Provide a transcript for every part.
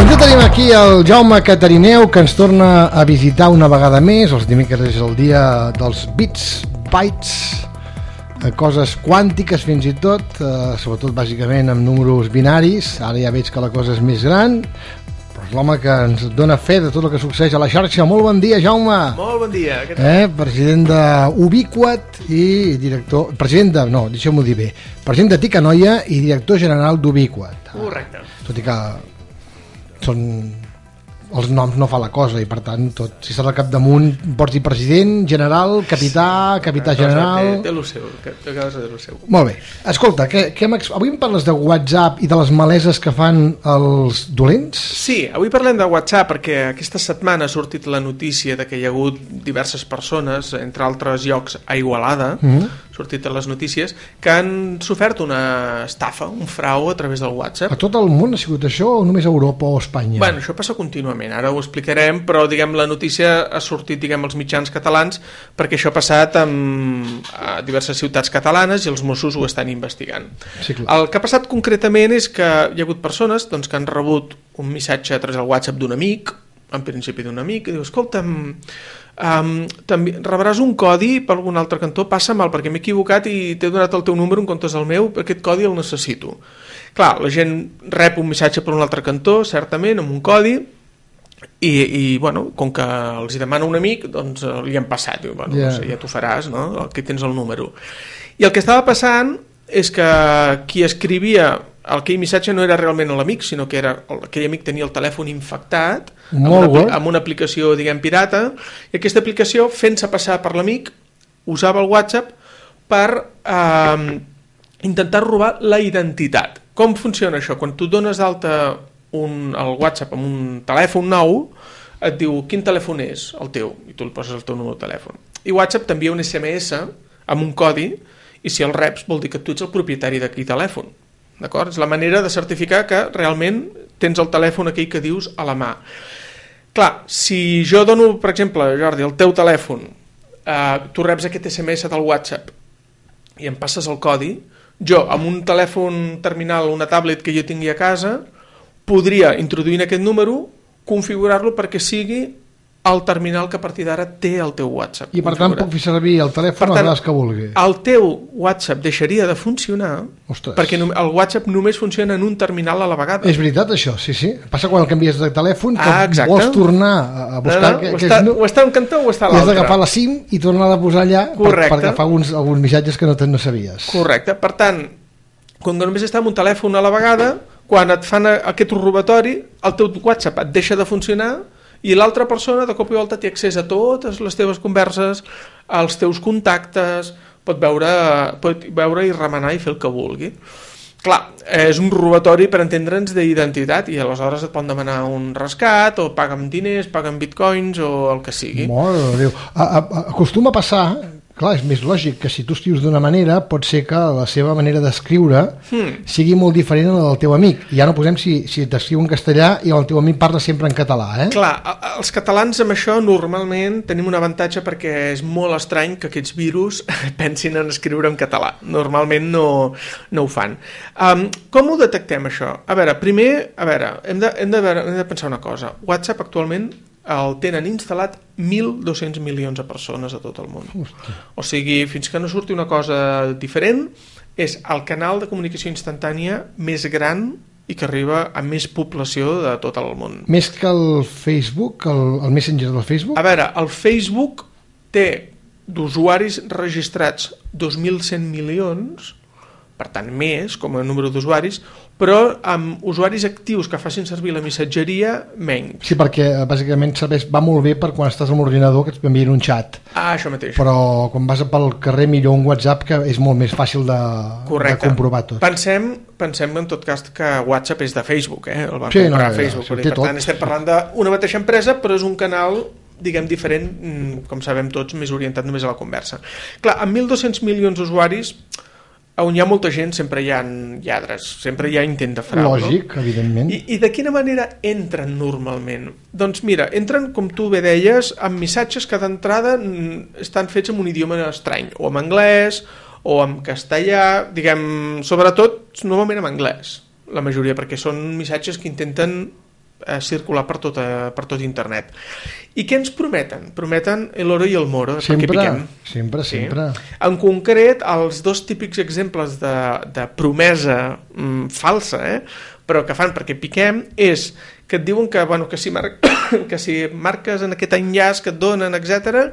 Doncs ja tenim aquí el Jaume Catarineu, que ens torna a visitar una vegada més. Els dimecres és el dia dels bits, bytes, coses quàntiques fins i tot, sobretot bàsicament amb números binaris. Ara ja veig que la cosa és més gran, però és l'home que ens dona fe de tot el que succeeix a la xarxa. Molt bon dia, Jaume. Molt bon dia. President d'Ubiquat i director... No, deixeu-m'ho dir bé. President de Ticanoia i director general d'Ubiquat. Correcte. Tot i que els noms no fa la cosa i per tant tot, si estàs al capdamunt pots dir president, general, capità general... Té lo seu, té lo seu. Molt bé, escolta, avui em parles de WhatsApp i de les maleses que fan els dolents? Sí, avui parlem de WhatsApp perquè aquesta setmana ha sortit la notícia de que hi ha hagut diverses persones, entre altres llocs a Igualada, sortit a les notícies, que han sofert una estafa, un frau a través del WhatsApp. A tot el món ha sigut això o només a Europa o a Espanya? Bueno, això passa contínuament, ara ho explicarem, però diguem la notícia ha sortit als mitjans catalans perquè això ha passat a diverses ciutats catalanes i els Mossos ho estan investigant. Sí, clar. El que ha passat concretament és que hi ha hagut persones que han rebut un missatge a través del WhatsApp d'un amic, en principi d'un amic, i diu, escolta'm, també rebràs un codi per algun altre cantó, passa-me'l perquè m'he equivocat i t'he donat el teu número en comptes del meu, aquest codi el necessito. Clar, la gent rep un missatge per un altre cantó, certament, amb un codi, i bueno, com que els hi demana un amic, doncs li han passat, diu, bueno, no sé, ja t'ho faràs, no? Aquí tens el número. I el que estava passant és que qui escrivia aquell missatge no era realment l'amic, sinó que aquell amic tenia el telèfon infectat amb una aplicació, diguem, pirata, i aquesta aplicació, fent-se passar per l'amic, usava el WhatsApp per intentar robar la identitat. Com funciona això? Quan tu dones d'alta el WhatsApp amb un telèfon nou, et diu quin telèfon és el teu, i tu li poses el teu número de telèfon. I WhatsApp t'envia un SMS amb un codi, i si el reps vol dir que tu ets el propietari d'aquell telèfon. D'acord? És la manera de certificar que realment tens el telèfon aquell que dius a la mà. Clar, si jo dono, per exemple, Jordi, el teu telèfon, tu reps aquest SMS del WhatsApp i em passes el codi, jo amb un telèfon terminal, una tablet que jo tingui a casa, podria introduir en aquest número, configurar-lo perquè sigui el terminal que a partir d'ara té el teu WhatsApp. I per tant puc fer servir el telèfon a vegades que vulgui. El teu WhatsApp deixaria de funcionar perquè el WhatsApp només funciona en un terminal a la vegada. És veritat això, sí. Passa quan el canvies de telèfon que vols tornar a buscar... O està a un cantó o està a l'altre. I has d'agafar la SIM i tornar a posar allà per agafar alguns missatges que no sabies. Correcte. Per tant, quan només està en un telèfon a la vegada, quan et fan aquest robatori, el teu WhatsApp et deixa de funcionar i l'altra persona de cop i volta té accés a totes les teves converses, als teus contactes, pot veure i remenar i fer el que vulgui. Clar, és un robatori per entendre'ns d'identitat i aleshores et poden demanar un rescat o paga'm diners, paga'm bitcoins o el que sigui. Mare de Déu. Acostuma a passar... Clar, és més lògic que si tu escrius d'una manera pot ser que la seva manera d'escriure sigui molt diferent a la del teu amic. Ja no posem si t'escriu en castellà i el teu amic parla sempre en català, Clar, els catalans amb això normalment tenim un avantatge perquè és molt estrany que aquests virus pensin en escriure en català. Normalment no ho fan. Com ho detectem, això? A veure, primer, hem de pensar una cosa. WhatsApp actualment el tenen instal·lat 1.200 milions de persones a tot el món. O sigui, fins que no surti una cosa diferent, és el canal de comunicació instantània més gran i que arriba a més població de tot el món. Més que el Facebook, el Messenger del Facebook? A veure, el Facebook té d'usuaris registrats 2.100 milions, per tant més com a número d'usuaris, però amb usuaris actius que facin servir la missatgeria, menys. Sí, perquè bàsicament va molt bé per quan estàs amb l'ordinador que et envien un xat. Això mateix. Però quan vas pel carrer millor un WhatsApp que és molt més fàcil de comprovar tot. Pensem en tot cas que WhatsApp és de Facebook, el va comprar Facebook. Per tant, estem parlant d'una mateixa empresa, però és un canal diguem diferent, com sabem tots, més orientat només a la conversa. Clar, amb 1.200 milions d'usuaris on hi ha molta gent sempre hi ha lladres, sempre hi ha intent de frau. Lògic, evidentment. I de quina manera entren normalment? Doncs mira, entren, com tu bé deies, amb missatges que d'entrada estan fets en un idioma estrany, o en anglès, o en castellà, diguem, sobretot, normalment en anglès, la majoria, perquè són missatges que intenten circular per tot internet. I què ens prometen? Prometen l'oro i el moro, sempre, perquè piquem. Sempre. En concret, els dos típics exemples de promesa falsa, però que fan perquè piquem, és que et diuen que si marques en aquest enllaç que et donen, etc.,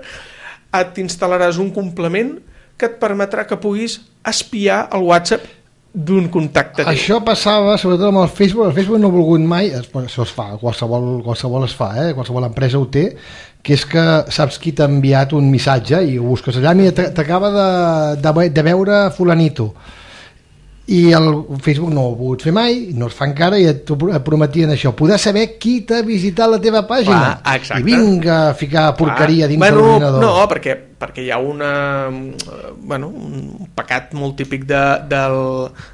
t'instal·laràs un complement que et permetrà que puguis espiar el WhatsApp d'un contacte. Això passava sobretot amb el Facebook. El Facebook no ha volgut mai, això es fa, qualsevol es fa, qualsevol empresa ho té, que és que saps qui t'ha enviat un missatge i ho busques allà, mira, t'acaba de veure fulanito, i el Facebook no ho ha pogut fer mai, no es fa encara, i et prometien això, poder saber qui t'ha visitat la teva pàgina. I vinga a ficar porqueria dins de l'ordinador. No, perquè hi ha un pecat molt típic de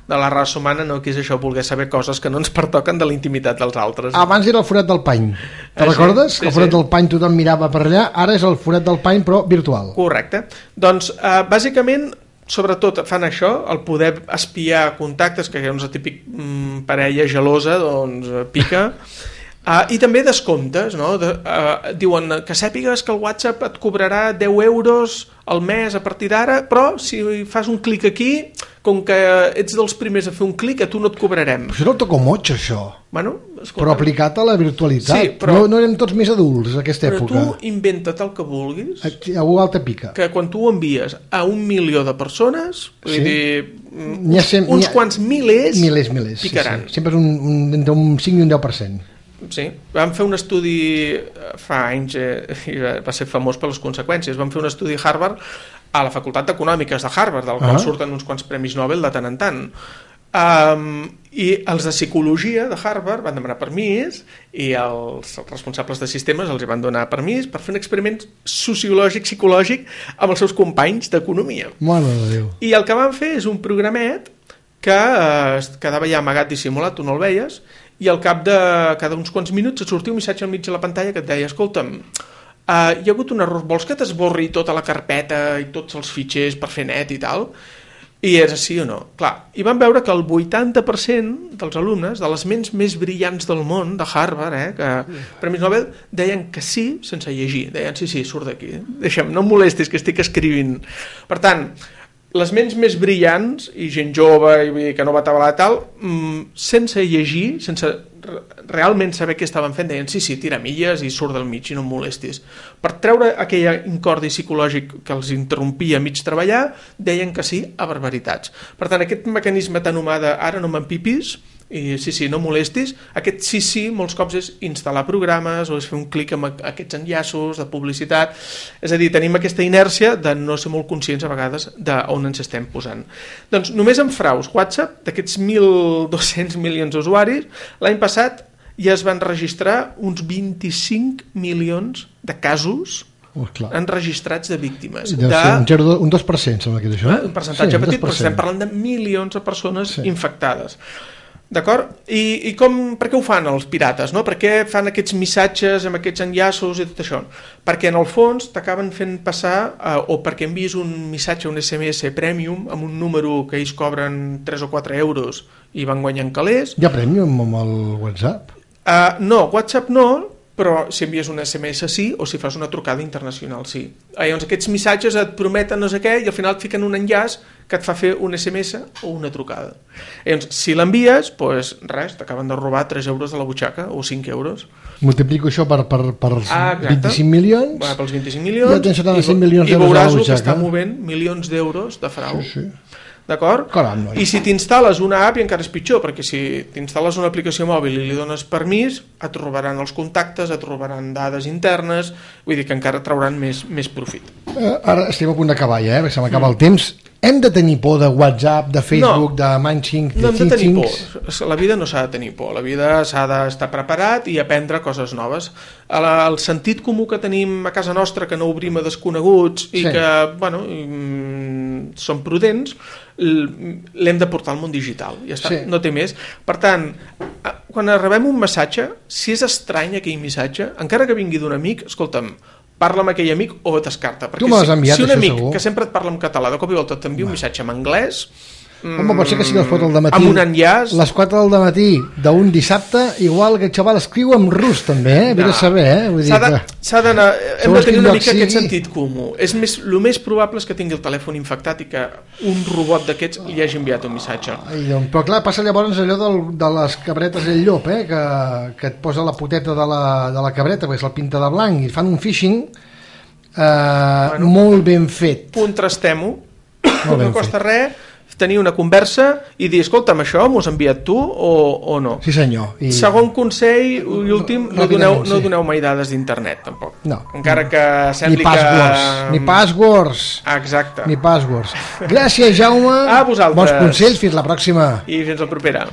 la raça humana, no, que és això, voler saber coses que no ens pertoquen de la intimitat dels altres. Abans era el forat del pany, te'n recordes? Sí, el forat del pany tothom mirava per allà, ara és el forat del pany però virtual. Correcte. Doncs bàsicament sobretot fan això, el poder espiar contactes, que és el típic parella gelosa, doncs pica, i també descomptes, no? Diuen que sàpigues que el WhatsApp et cobrarà 10 euros al mes a partir d'ara, però si fas un clic aquí, com que ets dels primers a fer un clic, a tu no et cobrarem. Però això és el tocomotx, això. Bueno, però aplicat a la virtualitat. Sí, però no érem tots més adults a aquesta època. Però tu inventa't el que vulguis. Algú altre pica. Que quan tu ho envies a 1 milió de persones, vull dir, uns quants milers picaran. Sí. Sempre és entre un 5 i un 10%. Sí, vam fer un estudi fa anys i va ser famós per les conseqüències. Vam fer un estudi a Harvard, a la Facultat d'Econòmiques de Harvard, del qual surten uns quants premis Nobel de tant en tant. I els de psicologia de Harvard van demanar permís i els responsables de sistemes els van donar permís per fer un experiment psicològic amb els seus companys d'economia. Mare de Déu. I el que van fer és un programet que quedava ja amagat dissimulat, tu no el veies, i al cap de cada uns quants minuts et sortia un missatge al mig de la pantalla que et deia, escolta'm, hi ha hagut un error, vols que t'esborri tota la carpeta i tots els fitxers per fer net i tal? I és sí o no? Clar, i vam veure que el 80% dels alumnes, de les ments més brillants del món, de Harvard, que Premis Nobel, deien que sí sense llegir, deien sí, surt d'aquí, deixa'm, no em molestis que estic escrivint. Per tant, les ments més brillants i gent jove i que no va atabalar tal, sense llegir, sense realment saber què estaven fent, deien sí, tira milles i surt del mig i no em molestis. Per treure aquell incordi psicològic que els interrompia a mig treballar, deien que sí a barbaritats. Per tant, aquest mecanisme tan humà de ara no m'empipis i sí, no molestis, aquest sí molts cops és instal·lar programes o és fer un clic amb aquests enllaços de publicitat, és a dir, tenim aquesta inèrcia de no ser molt conscients a vegades d'on ens estem posant. Doncs només en fraus WhatsApp, d'aquests 1.200 milions d'usuaris, l'any passat ja es van registrar uns 25 milions de casos enregistrats de víctimes. Un 2%, sembla que és això. Un percentatge petit, però estem parlant de milions de persones infectades. D'acord? I per què ho fan els pirates? No? Per què fan aquests missatges amb aquests enllaços i tot això? Perquè en el fons t'acaben fent passar, o perquè envies un missatge, un SMS premium amb un número que ells cobren 3 o 4 euros i van guanyant calés. Hi ha premium amb el WhatsApp? No, WhatsApp no, però si envies un SMS sí, o si fas una trucada internacional sí. Llavors aquests missatges et prometen no sé què i al final et fiquen un enllaç que et fa fer un SMS o una trucada. Llavors, si l'envies, doncs res, t'acaben de robar 3 euros de la butxaca o 5 euros. Multiplico això per 25 milions. Pels 25 milions. Ja tens 75 milions d'euros a la butxaca. I veuràs que està movent milions d'euros de frau. Sí. D'acord? Caram, I si t'instal·les una app, i encara és pitjor, perquè si t'instal·les una aplicació mòbil i li dones permís, et robaran els contactes, et robaran dades internes, vull dir que encara trauran més profit. Ara estem a punt d'acabar ja, perquè se m'acaba el temps. Hem de tenir por de WhatsApp, de Facebook, de Manching, de no hem de tenir por. La vida no s'ha de tenir por. La vida s'ha d'estar preparat i aprendre coses noves. El sentit comú que tenim a casa nostra, que no obrim a desconeguts i que, bueno, som prudents, l'hem de portar al món digital. Ja està, no té més. Per tant, quan rebem un missatge, si és estrany aquell missatge, encara que vingui d'un amic, escolta'm, parla amb aquell amic o descarta. Perquè tu me l'has enviat, si un amic segur. Que sempre et parla en català, de cop i volta t'envia un missatge en anglès, Home, pot ser que sigui les 4 del matí. Amb un enllaç. Les 4 del matí d'un dissabte, igual que el xaval escriu en rus, també, Vull saber, Vull dir s'ha d'anar... Hem de tenir una mica aquest sentit comú. El més probable és que tingui el telèfon infectat i que un robot d'aquests li hagi enviat un missatge. Però clar, passa llavors allò de les cabretes i el llop, que et posa la poteta de la cabreta, perquè se'l pinta de blanc, i fan un phishing molt ben fet. Contrastem-ho, no costa res tenir una conversa i dir, escolta'm, això m'ho has enviat tu o no? Sí, senyor. Segon consell i últim, no doneu mai dades d'internet, tampoc. No. Encara que sembli Ni passwords. Exacte. Ni passwords. Gràcies, Jaume. A vosaltres. Bons consells, fins la pròxima. I fins la propera.